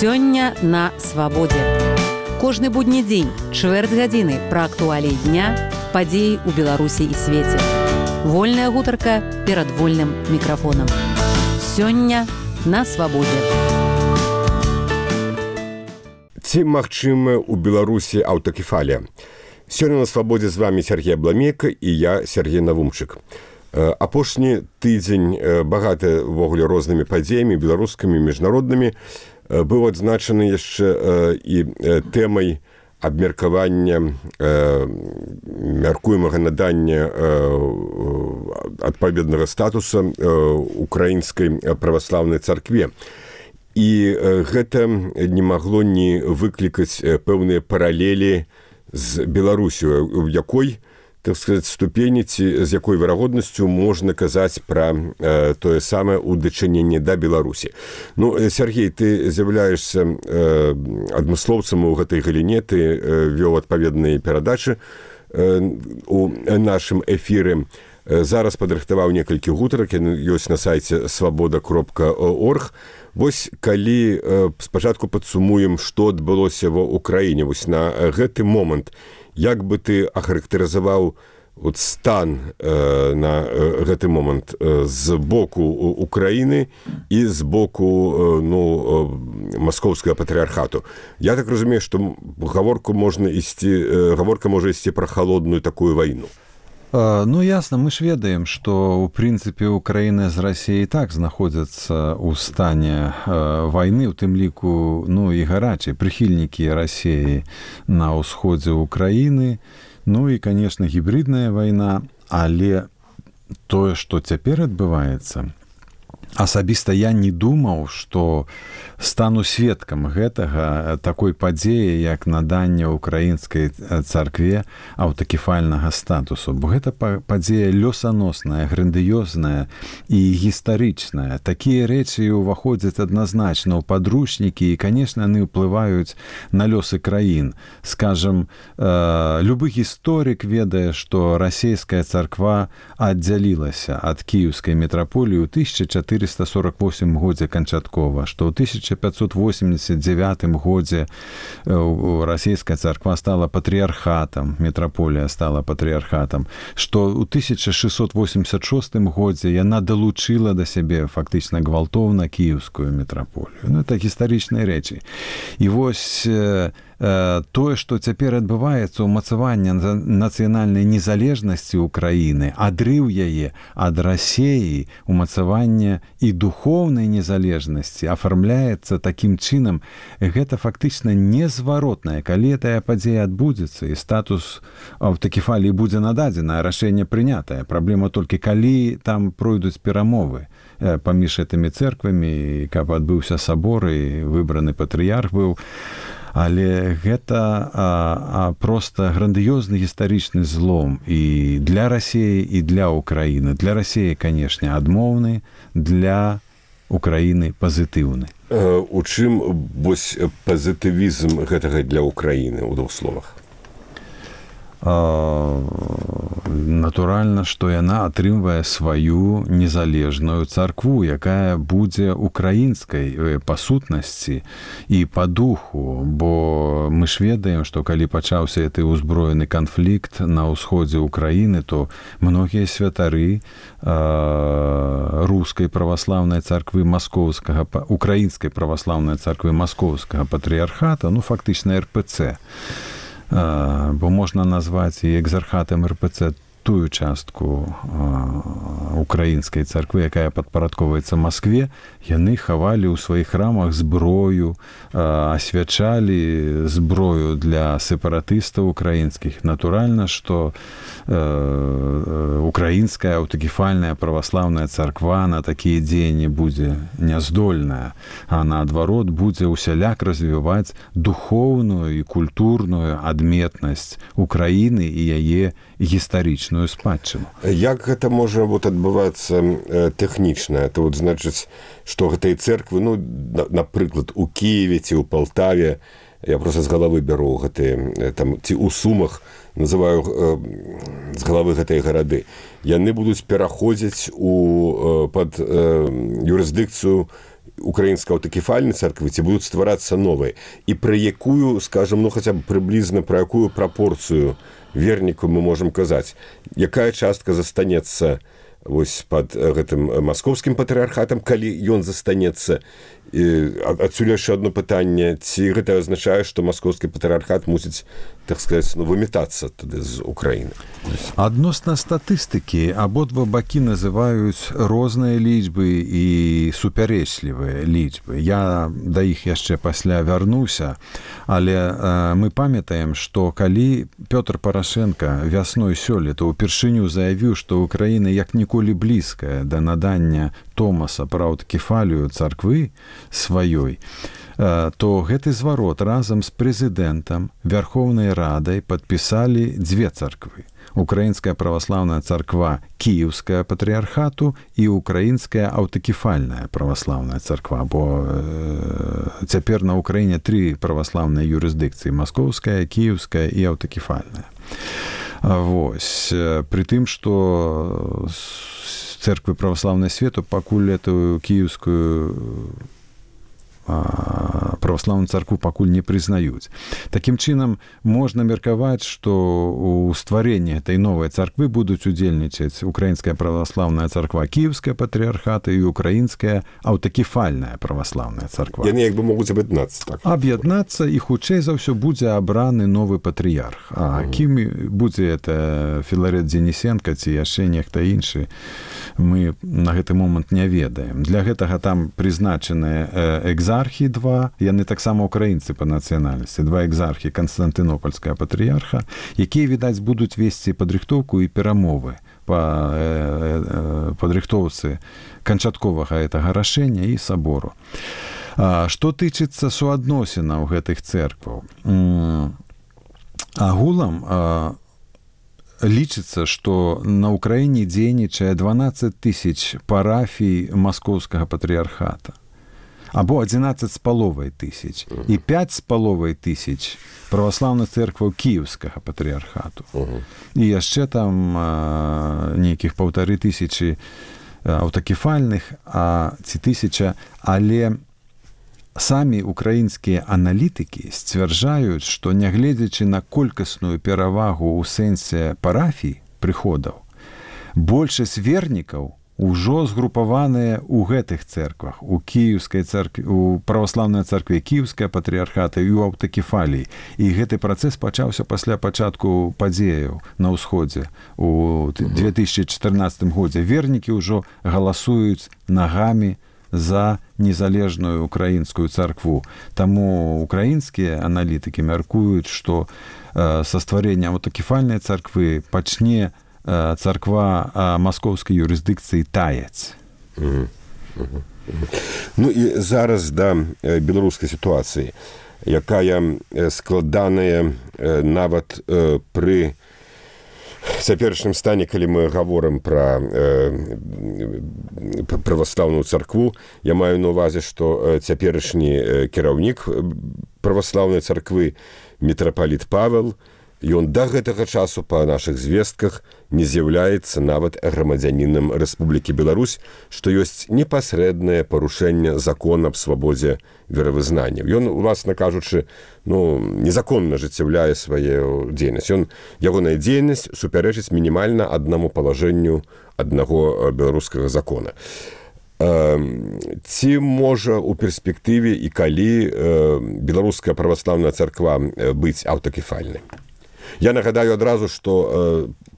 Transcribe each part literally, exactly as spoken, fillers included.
Сёння на свабодзе. Кожны будні дзень, чвэрць гадзіны пра актуаліі дня, падзеі ў Беларусі і свеце. Вольная гутарка перад вольным мікрафонам. Сёння на свабодзе. Ці магчыма ў Беларусі аўтакефалія? Сёння на свабодзе з вами Сергей Абламейка і я, Сергей Навумчык. Апошні тыдзень багаты ўвогуле рознымі падзеямі, беларускімі, міжнароднымі, быў адзначаны яшчэ і тэмай абмеркавання мяркуемага надання адпаведнага статуса украінскай праваслаўнай царкве. І гэта не магло не выклікаць пэўныя паралелі з Беларусю, у якой, так сказать, ступені, ці з якой верагоднасцю можна казаць пра э, тое самае ў дачыненні да Беларусі. Ну, Сергей, ты з'яўляешся э, адмыслоўцам у гэтай галіне, ты э, вёў адпаведныя перадачы э, у нашым эфіры. Зараз падрыхтаваў некалькі гутарак, ёсць на сайце свабода кропка орг. Вось калі э, спачатку падсумуем, што адбылося ва ўкраіне, вось на гэты момант, як бы ты ахарактарызаваў от стан э, на э, гэты момант э, з боку Украіны і з боку э, ну, э, маскоўскага патрыархату? Я так разумею, што гаворку можна ісці, э, гаворка можа ісці пра халодную такую вайну. Ну, ясно, мы ж ведаем, што, у прынцыпе, Украіна з Расіяй так знаходзяцца ў стане э, вайны, у тым ліку, ну, і гарачай, прыхільнікі Расіі на ўсходзе Украіны, ну, і, конечно, гібридная вайна, але тое, што цяпер адбываецца, асабіста я не думаў, што стану сведкам гэтага, такой падзеі, як наданне украінскай царкве аўтакефальнага статусу. Бо гэта падзея лёсаносная, грандыёзная і гістарычная. Такія рэчы ўваходзяць адназначна ў падручнікі, і, канешне, яны ўплываюць на лёсы краін. Скажам, э, любы гісторык ведае, што расійская царква аддзялілася ад кіеўскай метраполіі ў тысяча чатырыста сорок восьмым годзе канчаткова, што ў тысяча пятьсот восемьдесят девятым годзе расійская царква стала патрыархатам, метраполія стала патрыархатам, што ў тысяча шэсцьсот восемьдесят шостым годзе яна далучыла да сябе фактычна гвалтоўна кіеўскую метраполію. Ну, это гістарычныя рэчы. І вось э, э, тое, што цяпер адбываецца, ўмацаванне нацыянальнай незалежнасці Украіны, адрыў яе ад Расіі, умацаванне і духоўнай незалежнасці афармляецца такім чынам, гэта фактычна незваротнае. Калі тая падзея адбудзецца і статус аўтакефаліі будзе нададзена, рашэнне прынятае. Праблема толькі калі там пройдуць перамовы паміж гэтымі цэрквамі, каб адбыўся сабор і выбраны патрыярх быў. Але гэта а, а, проста грандыёзны гістарычны злом і для Расіі, і для Украіны. Для Расіі, канешне, адмоўны, для Украіны пазітыўны. У чым вось пазітывізм гэтага для Украіны ў двух словах? Натуральна, што яна атрымвае сваю незалежную царкву, якая будзе украінскай па сутнасці і па духу, бо мы ж ведаем, што калі пачаўся гэты ўзброены канфлікт на ўсходзе Украіны, то многія святары рускай праваслаўнай царквы маскоўскага, украінскай праваслаўнай царквы маскоўскага патрыархата, ну, фактычна эр пэ цэ, бо можна назваць і экзархатам эр пэ цэ тую частку украінскай царквы, якая падпарадковваецца Маскве, яны хавалі ў сваіх храмах зброю, асвячалі зброю для сепаратыстаў украінскіх. Натуральна, што украінская аўтакефальная праваслаўная царква на такія дзеянні будзе няздольная, а наадварот будзе ўсяляк развіваць духоўную і культурную адметнасць Украіны і яе гістарычную спадчыну. Як гэта можа вот адбывацца э, тэхнічна? Это вот значыць, што гэтыя цэрквы, ну, на, напрыклад, у Кіеве ці ў Палтаве, я просто з галавы бяру гэтыя, там, ці ў Сумах, называю э, з галавы гэтыя гарады, яны будуць пераходзіць у, э, пад э, юрысдыкцыю украінскай аўтакефальнай царквы, ці будуць стварацца новыя, і пра якую, скажам, ну хаця б прыблізна пра якую прапорцыю вернікаў мы можам казаць, якая частка застанецца вось пад гэтым маскоўскім патрыархатам, калі ён застанецца. Адсюль яшчэ одно пытанне, ці гэта азначае, што маскоўскі патрыархат мусіць, так сказаць, ну, вымятацца тады з Украіны? Адносна статыстыкі абодва бакі называюць розныя лічбы і супярэчлівыя лічбы. Я да іх яшчэ пасля вярнуся, але э, мы памятаем, што калі Пётр Парашенка вясной сёлета ўпершыню заявіў, што Украіна як ніколі блізкая да надання Томаса пра аўтакефалію царквы сваёй, то гэты зварот разам з прэзідэнтам Вярхоўнай Радай падпісалі дзве царквы. Украінская праваслаўная царква Кіеўская патрыархату і Украінская аўтакефальная праваслаўная царква, бо э, цяпер на Украіне тры праваслаўныя юрысдыкцыі: маскоўская, кіеўская і аўтакефальная. Вось. Пры тым, што церквы праваслаўнай свету пакуль эту кіеўскую праваслаўную царкву пакуль не прызнаюць. Такім чынам, можна меркаваць, што ў стварэнні этой новай царквы будуць удзельнічаць Украінская праваслаўная царква Кіеўская патрыархата і Украінская аўтакефальная праваслаўная царква. Яны як бы могуць аб'яднацца. Так? Аб'яднацца, і хутчэй за ўсё будзе абраны новы патрыярх. А кім будзе это Філарет Дзенісенка ці яшчэ нехта іншы, мы на гэты момант не ведаем. Для гэтага там прызначаныя экзархі два, яны таксама украінцы па нацыянальнасці, два экзархі Канстантынопольская патрыярха, якія, відаць, будуць весці падрыхтоўку і перамовы па падрыхтоўцы канчатковага гэтага рашэння і сабору. Што тычыцца суадносінаў гэтых цэркваў? Агулам лічыцца, што на Украіне дзейнічае дванаццаць тысяч парафій маскоўскага патрыярхата, або адзінаццаць з паловай тысяч, і пяць з паловай тысяч праваслаўных цэркваў Кіеўскага патрыярхату. Uh-huh. І яшчэ там а, нейкіх паўтары тысячы аўтакефальных, а ці тысяча, але самі украінскія аналітыкі сцвярджаюць, што нягледзячы на колькасную перавагу ў сэнсе парафій прыходаў, большасць вернікаў ужо згрупаваныя ў гэтых цэрквах, у кіеўскай цэркве, у праваслаўнай царкве Кіеўская патрыярхата і ў аўтакефаліі. І гэты працэс пачаўся пасля пачатку падзеяў на ўсходзе у две тысячы чатырнаццатым годзе. Вернікі ўжо галасуюць нагамі за незалежную украінскую царкву. Таму украінскія аналітыкі мяркуюць, што э, са стварэннем аўтакефальнай царквы пачне э, царква э, маскоўскай юрысдыкцыі таяць. Mm-hmm. Mm-hmm. Ну і зараз да э, беларускай сітуацыі, якая э, складаная э, нават э, пры цяперашнім стане, калі мы гаворым пра э, праваслаўную царкву, я маю на ўвазе, што цяперашні э, кіраўнік праваслаўнай царквы мітрапаліт Павел, ён да гэтага часу па нашых звестках не з'яўляецца нават грамадзянінам Рэспублікі Беларусь, што ёсць непасрэднае парушэнне закона аб свабодзе веравызнання. Ён, уласна кажучы, ну, незаконна ажыццяўляе сваю дзейнасць. Ён, ягоная дзейнасць супярэчыць мінімальна аднаму палажэнню аднаго беларускага закона. Ці можа ў перспектыве і калі беларуская праваслаўная царква быць аўтакефальнай? Я нагадаю адразу, што э,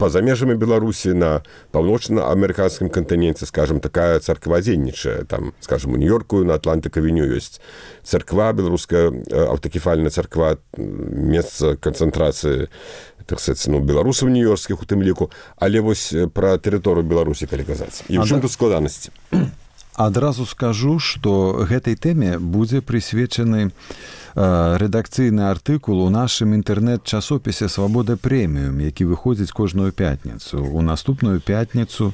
па-за межамі Беларусі на паўночна-амерыканскім кантыненце, скажем, такая царква дзейнічае. Там, скажем, у Нью-Йорку на Атлантык-авеню ёсць царква, беларуская аўтакефальная царква, месца канцэнтрацыі, так сказаць, ну, беларусаў нью-йоркскіх у тым ліку. Але вось пра тэрыторыю Беларусі, калі казаць. І ў чым тут складанасці? Адразу скажу, што гэтай тэме будзе прысвечаны рэдакцыйны артыкул у нашым інтэрнэт-часопісе «Свабода прэміум», які выходзіць кожную пятніцу. У наступную пятніцу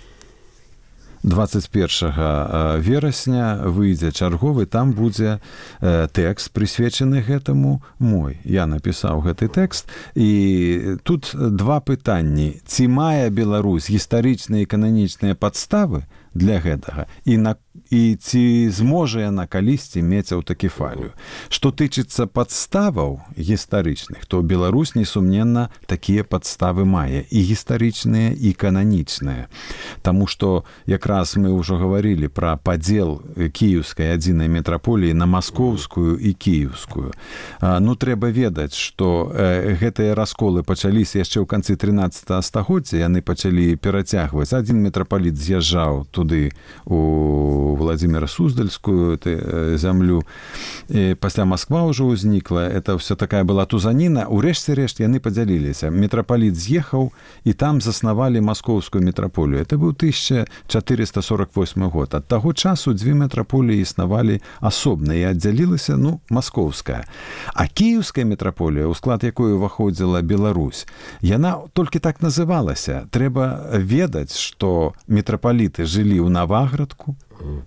дваццаць першага верасня выйдзе чарговы, там будзе тэкст, прысвечаны гэтаму мой. Я напісаў гэты тэкст, і тут два пытанні. Ці мае Беларусь гістарычныя і кананічныя падставы для гэтага. І, на, і ці зможа яна калісьці мець аўтакефалію. Што тычыцца падставаў гістарычных, то Беларусь, несумненна, такія падставы мае. І гістарычныя, і кананічныя. Таму што якраз мы ўжо гаварылі пра падзел кіеўскай адзінай метраполіі на маскоўскую і кіеўскую. Ну, трэба ведаць, што гэтыя расколы пачаліся яшчэ ў канцы трынаццатага стагоддзя, яны пачалі перацягваць. Адзін мітрапаліт з'язджаў туды у Владзіміра Суздальскую зямлю. І пасля Масква ўжо ўзнікла. Это ўся такая была тузаніна. Урэшце рэшт яны падзяліліся. Мітрапаліт з'ехаў, і там заснавалі маскоўскую мітраполію. Это быў тысяча чатырыста сорок восьмы год. Ад таго часу дзве мітраполіі існавалі асобна, і аддзялілася, ну, маскоўская. А кіеўская мітраполія, у склад якой уваходзіла Беларусь, яна толькі так называлася. Трэба ведаць, што мітрапаліты жылі ў Наваградку,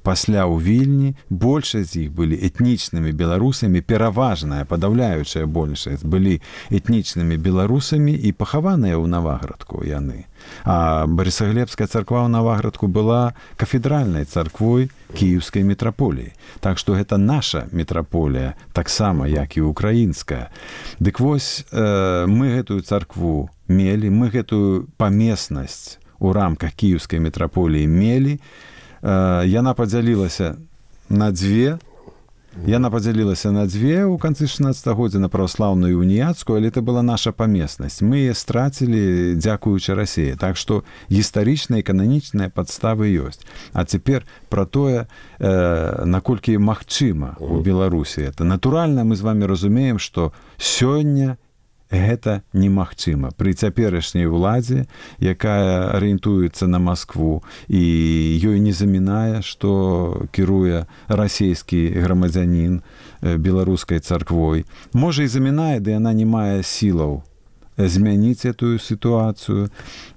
пасля ў Вільні, большасць з іх былі этнічнымі беларусамі, пераважная, падаўляючая большасць былі этнічнымі беларусамі і пахаваныя ў Наваградку яны. А Барысаглебская царква ў Наваградку была кафедральнай царквой кіеўскай мітраполіі. Так што гэта наша мітраполія, таксама, як і украінская. Дык вось, э, мы гэтую царкву мелі, мы гэтую памеснасць у рамках кіеўскай мітраполіі мелі. Яна падзялілася на дзве. Яна падзялілася на дзве ў канцы шаснаццатага годзя, на праваслаўную і уніяцкую, але это была наша памеснасць. Мы яе страцілі, дзякуючы Расіі. Так што гістарычныя і кананічныя падставы ёсць. А цяпер пра тое, э, наколькі магчыма ў Беларусі. Это натуральна, мы з вами разумеем, што сёння гэта немагчыма. Пры цяперашняй уладзе, якая арыентуецца на Маскву, і ёй не замінае, што кіруе расійскі грамадзянін беларускай царквой. Можа, і замінае, ды яна не мае сілаў змяніць этую сітуацыю.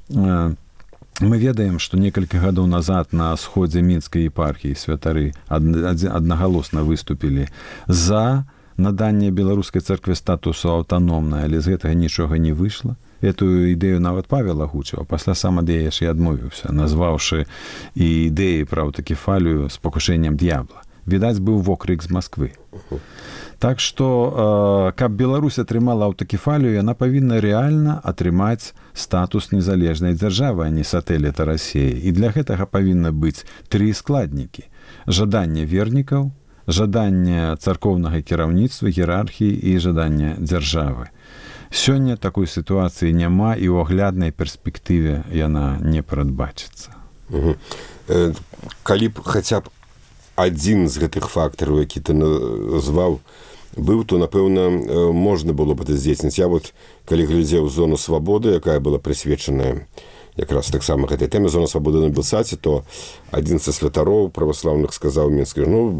Мы ведаем, што некалькі гадоў назад на сходзе мінскай епархіі святары аднагалосна выступілі за наданне беларускай царкве статусу аўтаномнай, але з гэтага нічога не выйшла. Этую ідэю нават Павел агучыў, а пасля сам ад яе ж і адмовіўся, назваўшы і ідэі пра аўтакефалію спакушэннем д'ябла. Відаць, быў вокрык з Масквы. Так што, каб Беларусь атрымала аўтакефалію, яна павінна рэальна атрымаць статус незалежнай дзяржавы, а не сатэліта Расіі. І для гэтага павінна быць тры складнікі. Жаданне вернікаў, жаданне царкоўнага кіраўніцтва, іерархіі і жаданне дзяржавы. Сёння такой сітуацыі няма, і ў агляднай перспектыве яна не прадбачыцца. Угу. Э, калі б хаця б адзін з гэтых фактараў, які ты назваў, быў, то, напэўна, можна было б это здзейсніць. Я вот, калі глядзеў зону свабоды, якая была прысвечаная якраз таксама гэтай тэме, зона свабоды на Белсаце, то адзін са святароў праваслаўных сказаў Мінскі, ну,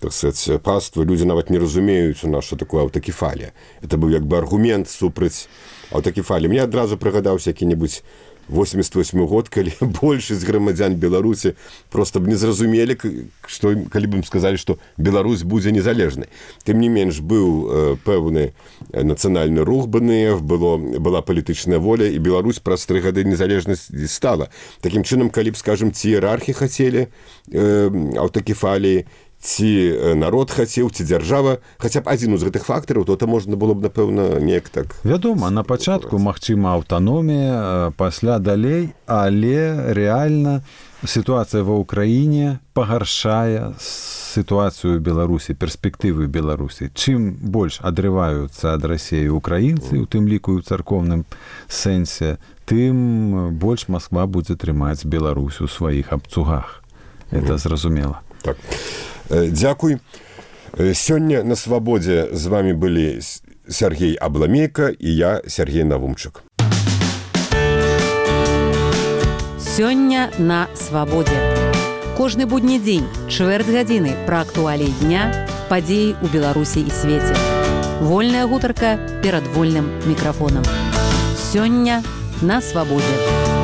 так сказать, паства, людзі нават не разумеюць у нас, што такое аўтакефалія. Это быў як бы аргумент супраць аўтакефаліі. Мне адразу прыгадаўся які-небудзь восемьдесят восьмы год, калі большасць грамадзян Беларусі просто б не зразумелі, што, калі б ім сказалі, што Беларусь будзе незалежнай. Тым не менш, быў э, пэўны нацыянальны рух бэ эн эф, было, была палітычная воля, і Беларусь праз тры гады незалежнасці стала. Такім чынам, калі б, скажем, ці іерархі хацелі э, аўтакефаліі, ці народ хацеў, ці дзяржава, хаця б адзін з гэтых фактараў, то это можна было б, напэўна, неяк так... Вядома, на пачатку, магчыма, аўтаномія, пасля далей, але рэальна сітуацыя ва ўкраіне пагаршае сітуацыю Беларусі, перспектывы Беларусі. Чым больш адрываюцца ад Расіі украінцы, у тым ліку і ў царкоўным сэнсе, тым больш Масква будзе трымаць Беларусь у сваіх абцугах. Это зразумела. Так. Дзякуй. Сёння на свабодзе з вами былі Сергей Абламейка і я, Сергей Навумчык. Сёння на свабодзе. Кожны будні дзень, чвэрць гадзіны пра актуаліі дня, падзеі ў Беларусі і свеце. Вольная гутарка перад вольным мікрафонам. Сёння на свабодзе.